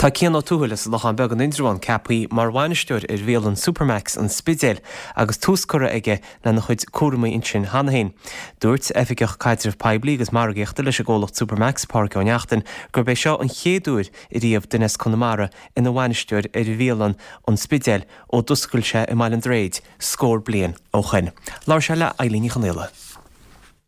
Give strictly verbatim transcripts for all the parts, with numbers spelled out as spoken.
Tá Cian Ó Tuathail as Lochán Beag in Indreabhán ceaptha mar bhainisteoir ar bhialann Supermacs an Spidéil agus tús curtha aige lena chuid cúraimí ansin cheana féin. Dúirt Oifigeach Caidreamh Poiblí agus Margaíochta leis an gcomhlacht Supermacs Pádraig Ó Neachtain gurb é seo an chéad uair ariamh duine as Conamara ina bhainisteoir ar bhialann an Spidéil ó d'oscail sé i mBaile an Droichid scór bliain ó shin. Labhair sé le Eilín Ní Chonaola.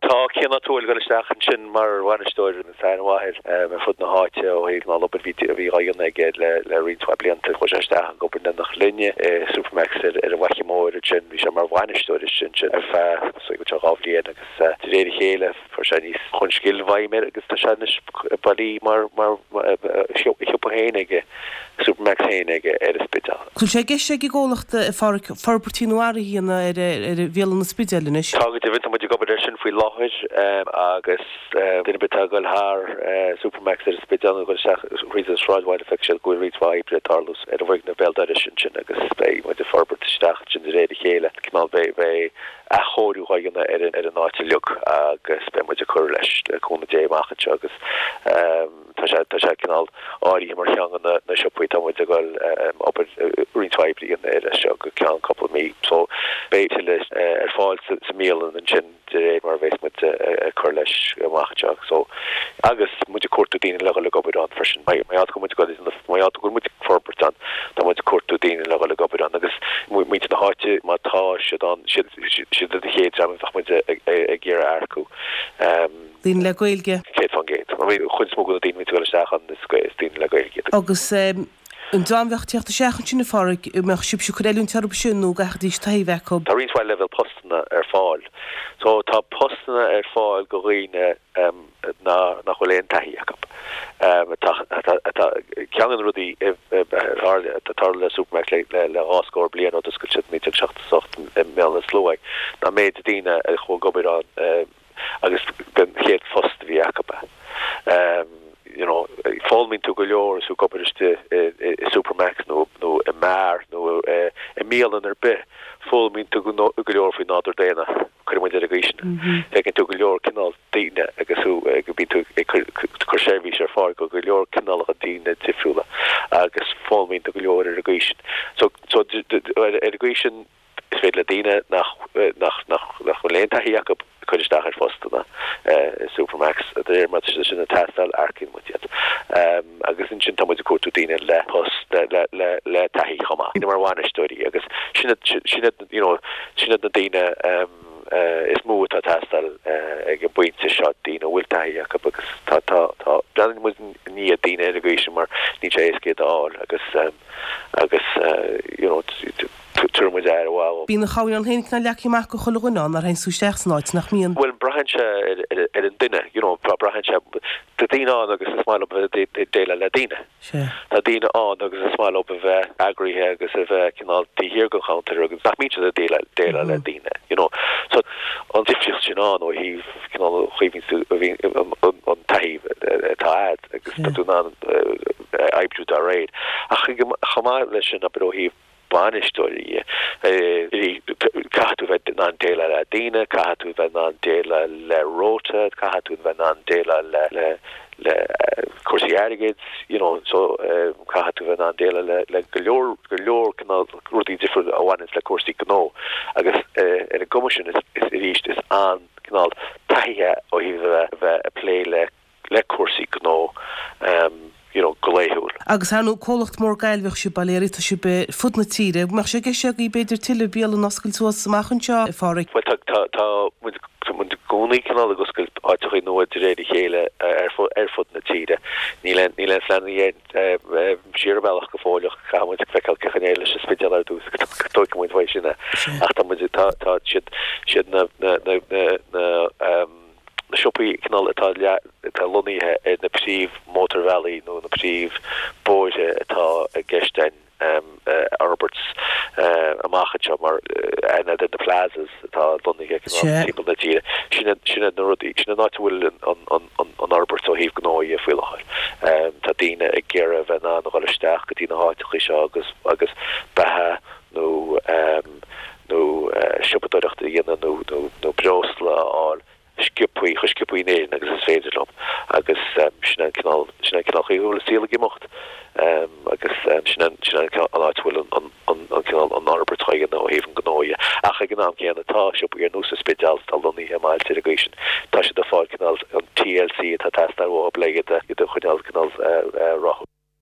Tá Cian Ó Tuathail ag dul isteach ansin mar bhainisteoir san mháthair ar fud na háite ó thaobh na obair a bhí á dhéanamh aige le le roinnt mhaith blianta chuaigh sé isteach ag obair in linne i Supermacs ar ar an bhFaiche Mhór ansin bhí sé mar bhainisteoir sin sin ar feadh so dhá bhliain agus de réir a chéile fuair sé níos chun scil bhfeidhm air agus tá sé anois bailí mar mar shiopa féin aige Supermacs féin aige ar an Spidéal. Bhfuil sé i gceist ag an gcomhlacht forbairtí nó athruithe ar ar bhialann an Spidéil anois. Tá go deimhin tá muid ag obair air sin faoi láthair agus duine ar bith atá ag dul thar Supermacs ar an Spidéal nó dul isteach thríd an sráidbhaile feicfidh siad go bhfuil roinnt mhaith oibre ag tarlú ar an bhfoirgneamh béal dorais ansin agus beidh muid ag forbairt isteach sin de réir a chéile cineál beidh beidh athchóiriú á dhéanamh ar ar an áit uilig agus beidh muid ag cur leis le cúnamh Dé amach anseo agus tá sé tá sé cineál áirithe mar cheann de na siopaí tá muid ag dul obair roinnt mhaith oibre a dhéanamh air seo go ceann cúpla mí so beidh tuilleadh ar fáil sa mbialann ansin de réir mar a bheas muid ag cur leis amach anseo so agus muid ag cuartú daoine le dhul ag obair ann freisin má tá muid ag má tá go muid ag forbairt ann tá muid ag cuartú daoine le dhul ag obair ann agus muintir na háite má tá siad ann siad siad an chéad dream a bheadh muid ag iarraidh earcú. Daoine le Gaeilge. Céad faoin gcéad. Chuid is mó de na daoine ag dul isteach ann is daoine le Gaeilge. Agus an dream a bheadh ag teacht isteach ansin a Phádraig, mbeadh sibhse ag cur oiliúint orthu sin nó gcaithfidís taithí a bheith acu? Tá roinnt mhaith leibhéal postanna ar fáil. So tá postanna ar fáil do dhaoine nach bhfuil aon taithí acu. Tá ceann de na rudaí atá tarla le Supermacs le le dhá scór bliain ó d'oscail siad naoi déag seachtó a hocht i mBéal Átha na Sluaighe ná méid daoine a chuaigh ag obair ann agus den chéad phost a bhí acu. You know, foghlaimíonn tú go leor is tú ag obair istigh i Supermacs nó nó i mbeár nó i mbialann ar bith, foghlaimíonn tú go leor faoi nádúr daonna, cuireann muid ar an gcaoi sin. Feiceann tú go leor cineál daoine agus tú go mbíonn tú ag cur seirbhís ar fáil go go leor cineálacha daoine difriúla agus foghlaimíonn tú go leor ar an gcaoi sin. So so ar an gcaoi sin is féidir le daoine nach nach nach nach bhfuil aon taithí acu cur isteach ar phostanna i Supermacs de réir mar atá sin ag teastáil earcaíonn muid iad. Agus ansin tá muid ag cuartú daoine le post le le le taithí chomh maith. Daoine mar bhainisteoirí agus sin sin you know sin iad na daoine is mó atá ag teastáil ag an bpointe seo, daoine a bhfuil taithí acu agus tá tá tá breathnaíonn muid i ndiaidh daoine ar an gcaoi sin mar níl sé éasca iad a fháil agus agus you know tabharfaidh muid aire mhaith. Bíonn a chamhaoir féin cineál leagtha amach do chuile dhuine ann nuair a théann tú isteach san áit, nach mbíonn? Bhuel, braitheann sé ar an duine, you know, braitheann sé, tá daoine ann agus is maith leo bheith ag déileáil le daoine. Tá daoine ann agus is maith leo a bheith eagraithe agus a bheith cineál taobh thiar den chuntar agus nach mbíonn siad ag déileáil le daoine, you know. So an difríocht sin ann ó thaobh cineál an chaoi a bhíonn an taithí atá agat agus tá tú in ann oibriú dá réir. Ach chomh maith leis sin, abair ó thaobh bainisteoirí de, caithfidh tú bheith in ann déileáil le daoine, caithfidh tú bheith in ann déileáil le rota, caithfidh tú bheith in ann déileáil le le le cúrsaí airgid, you know, so caithfidh tú bheith in ann déileáil le le go leor go leor cineál rudaí difriúla a bhaineanns le cúrsaí gnó agus ar an gcuma sin is is arís is an cineál taithí ó thaobh a bheith a bheith ag plé le le cúrsaí gnó you know go laethúil. Agus ar ndóigh comhlacht mór Gaillimheach sibh, bail ó Dhia oraibh, tá sibh ar fud na tíre. Mbeadh sé i gceist agaibh b'fhéidir tuilleadh bialann a oscailt suas amach anseo, a Phádraig? Bhuel tá tá tá muid tá muid i gcónaí cineál ag oscailt áiteachaí nua de réir a chéile ar fud ar fud na tíre. Níl aon níl aon phleananna siar an bealach go fóill ach caithfidh muid feiceáil cén chaoi a n-éireoidh leis an Spidéal ar dtús go dtógfaidh muid uaidh sin é. Ach tá muid tá tá siad siad na na na na na na siopaí cineál atá atá lonnaithe ar na príomh-mhótarbhealaí nó na príomh-bhóithre atá i gceist againn a fhorbairt amach anseo mar aithne ar na plazas atá lonnaithe cineál timpeall na tíre. Sin iad sin iad na rudaí, sin an áit a bhfuil an an an fhorbairt ó thaobh gnó dhe faoi láthair. Tá daoine ag iarraidh a bheith in ann a dhul isteach go dtí na háiteachaí seo agus agus beatha nó nó siopadóireacht a dhéanamh nó nó nó breosla a fháil sciobthaí, chomh sciobthaí in Éirinn agus is féidir leo agus sin an cineál, sin an cineál chaoi a bhfuil an saol ag imeacht. Sin an sin an an áit bhfuil an an an cineál an fhorbairt á dhéanamh ó thaobh an gnó dhe. Ach ag an am céanna tá siopaí ar nós an Spidéal atá lonnaithe i mbailte ar an gcaoi sin. Tá siad ag fáil cineál an TLC atá teastáil uathu le iad iad a choinneáil cineál rathúil.